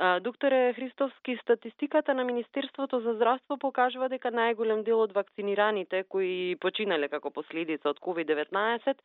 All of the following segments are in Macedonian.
Докторе Христовски, статистиката на Министерството за здравство покажува дека најголем дел од вакцинираните кои починале како последица од COVID-19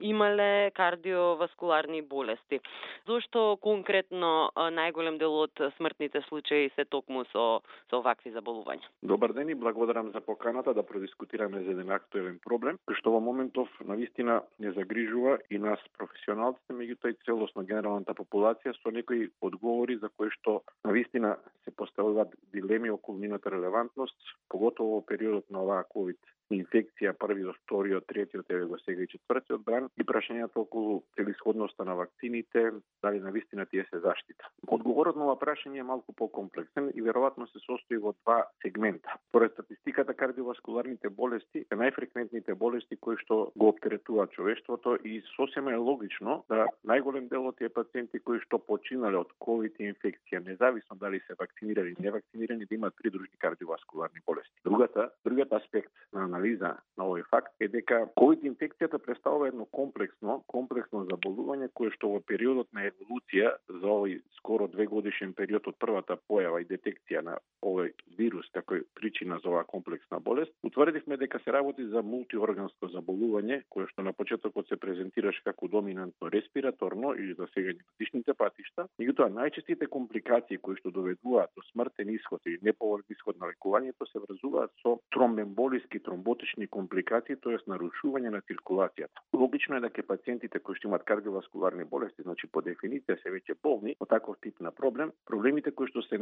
имале кардиоваскуларни болести. Зошто конкретно најголем дел од смртните случаи се токму со овакви заболувања? Добар ден и благодарам за поканата да продискутираме за еден актуелен проблем, кој што во моментов навистина не загрижува и нас професионалците, меѓутоа и целосно генералната популација со некои одговори за кои што навистина се поставуваат дилеми околу нивната релевантност, поготово во периодот на оваа ковид инфекција, првиот, вториот, третиот, еве го сега и четвртиот бран, и прашањето околу целисходноста на вакцините, дали навистина тие се заштита. Одговорот на ова прашање е малку покомплексен и веројатно се состои во два сегмента. Според статистиката, кардиоваскуларните болести е најфреквентните болести кои што го оптеретуваат човештвото и сосема е логично да најголем дел од тие пациенти кои што починале од ковид инфекција, независно дали се вакцинирани или не вакцинирани, да имаат придружни кардиоваскуларни болести. Другиот аспект на анализа на овој факт е дека ковид инфекцијата представува едно комплексно заболување кое што во периодот на еволуција за овој скоро 2 годишен период од првата појава и детекција на овој вирус како причина за оваа комплексна болест, утврдивме дека се работи за мултиорганско заболување кое што на почетокот се презентираше како доминантно респираторно или засегање на дишните патишта. Меѓутоа најчестите компликации кои што доведуваат до смртен исход или неповолен исход на лекувањето се врзуваат со тромбемболиски тромботични компликации, тоест нарушување на циркулацијата. Логично е дека пациентите кои што имаат кардиоваскуларни болести, значи по дефиниција се веќе болни од таков тип на проблемите кои што се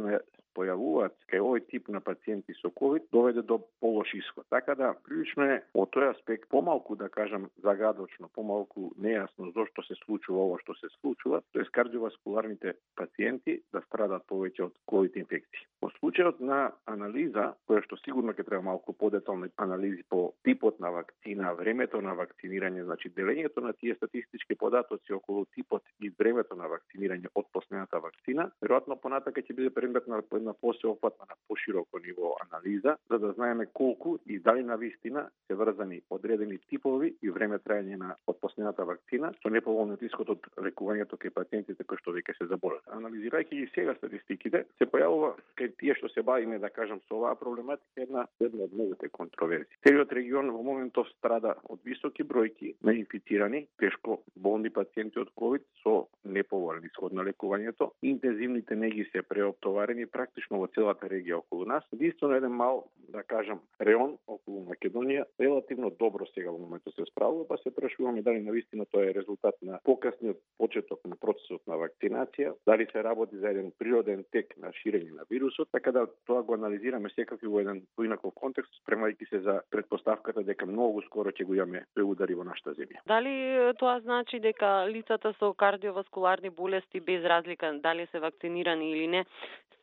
појавуваат кај овој тип на пациенти со ковид доведе до полош исход. Така да прилично е од тој аспект помалку, да кажам, загадочно, помалку нејасно зошто се случува ова што се случува, тоест кардиоваскуларните пациенти да страдат повеќе од ковид инфекција. Во случајот на анализа, која што сигурно ќе треба малку подетални анализи по типот на вакцина, времето на вакцинирање, значи делењето на тие статистички податоци околу типот и времето на вакцинирање од последната вакцина, веројатно понатака ќе биде предмет на една посеопфатна на пошироко ниво анализа, за да знаеме колку и дали навистина се врзани одредени типови и време траење на од последната вакцина со неповолниот исход од лекувањето кај пациентите кои што веќе се заболеле. Анализирајќи ги сега статистиките, се појавува кај тие што се бавиме, да кажам, со оваа проблематика една од многуте контроверзии. Целиот регион во моментов страда од високи бројки на инфицирани, тешко болни пациенти од ковид со неповолен исход на лекувањето. Интензивните неги се преоптоварени практично во целата регија околу нас. Единствено еден мал, да кажам, реон околу Македонија релативно добро сега во моментот се справува, па се прашуваме дали навистина тоа е резултат на покасниот почеток на процесот на вакцинација, дали се работи за еден природен тек на ширење на вирусот, така да тоа го анализираме секако во еден поинаков контекст, спремајќи се за предпоставката дека многу скоро ќе го имаме тој удари во нашата земја. Дали тоа значи дека лицата со кардиоваскуларни болести без разлика дали се вакцинирани или не,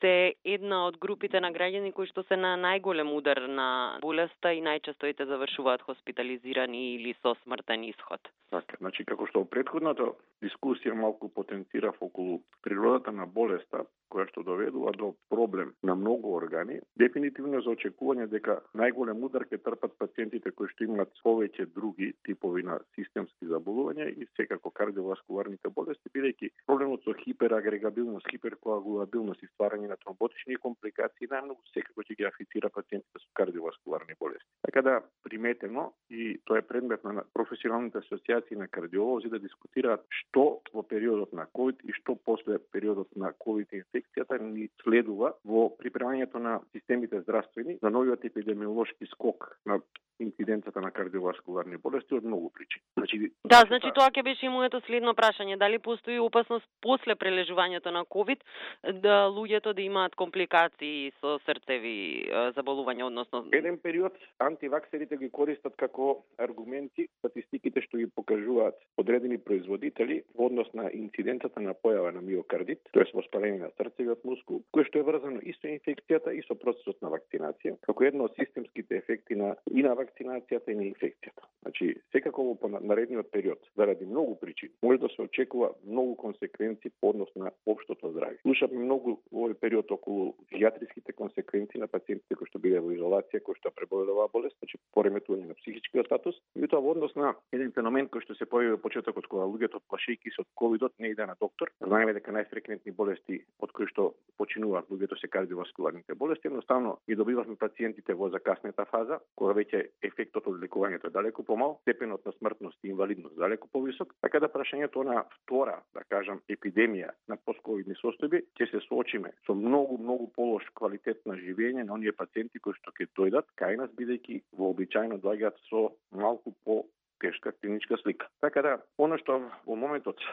се една од групите на граѓани кои што се на најголем удар на болеста и најчесто и завршуваат хоспитализирани или со смртен исход? Така, значи како што во претходната дискусија малку потенцирав околу природата на болеста, која што доведува до проблем на многу органи, дефинитивно за очекување дека најголем удар ќе трпат пациентите кои што имаат повеќе други типови на системски заболувања и секако кардиоваскуларните болести, бидејќи проблемот со хиперагрегабилност, хиперкоагулабилност и стварање на тромботични компликации најмногу секако ќе ги афектира пациентите со кардиоваскуларни болести. Така да приметено и тоа е предмет на професионалните асоциации на кардиолози да дискутираат што во периодот на ковид и што после периодот на ковид инфекцијата ни следува во припремањето на системите здравствени за новиот епидемиолошки скок на инциденцата на кардиоваскуларни болести од многу причини. Значи тоа ќе беше и моето следно прашање, дали постои опасност после прележувањето на ковид да луѓето да имаат компликации со срцеви заболувања, односно еден период антиваксерите ги користат како аргументи статистиките што ги покажуваат одредени производители во однос на инцидентата на појава на миокардит, тоест воспаление на срцевиот мускул, кое што е врзано и со инфекцијата и со процесот на вакцинација, како едно од системските ефекти на вакцинацијата и на инфекцијата. Значи, секако во наредниот период, заради многу причини, може да се очекува многу консеквенции по однос на општото здравје. Слушавме многу во овој период околу психијатриските консеквенции на пациентите кои што биле во изолација, кои што преболеле оваа болест, значи пореметување на психичкиот статус, и тоа во однос на еден феномен кој што се појави во почетокот кога луѓето плашејќи се од ковидот не иде на доктор. Знаеме дека најфреквентни болести од кои што починуваат луѓето се кардиоваскуларните болести, едноставно ги добивавме пациентите во закаснета фаза, кога веќе ефектот од лекувањето е далеку помал, степенот на смртност и инвалидност далеку повисок, така да прашањето на втора, да кажам, епидемија на постковидни состојби ќе се соочиме со многу полош квалитет на живење на оние пациенти кои што ќе дојдат кај нас, бидејќи вообичаено доаѓаат со малку по тешка клиничка слика. Така да, она што во моментот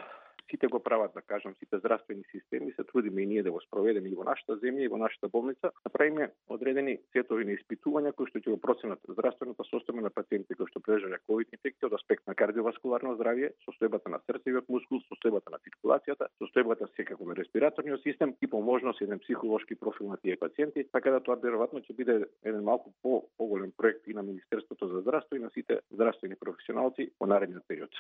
сите го прават, да кажам, сите здравствени системи, се трудиме и ние да го спроведеме и во нашата земја и во нашата болница, направиме одредени сетови на испитувања кои што ќе го проценат здравствената состојба на пациентите кои што преживеа ковид инфекција од аспект на кардиоваскуларно здравје, состојбата на срцевиот мускул, состојбата на циркулацијата, состојбата секако на респираторниот систем и по можност еден психолошки профил на тие пациенти, така да тоа веројатно ќе биде еден малку поголем проект и на Министерството за здравство и на сите здравствени професионалци во наредниот период.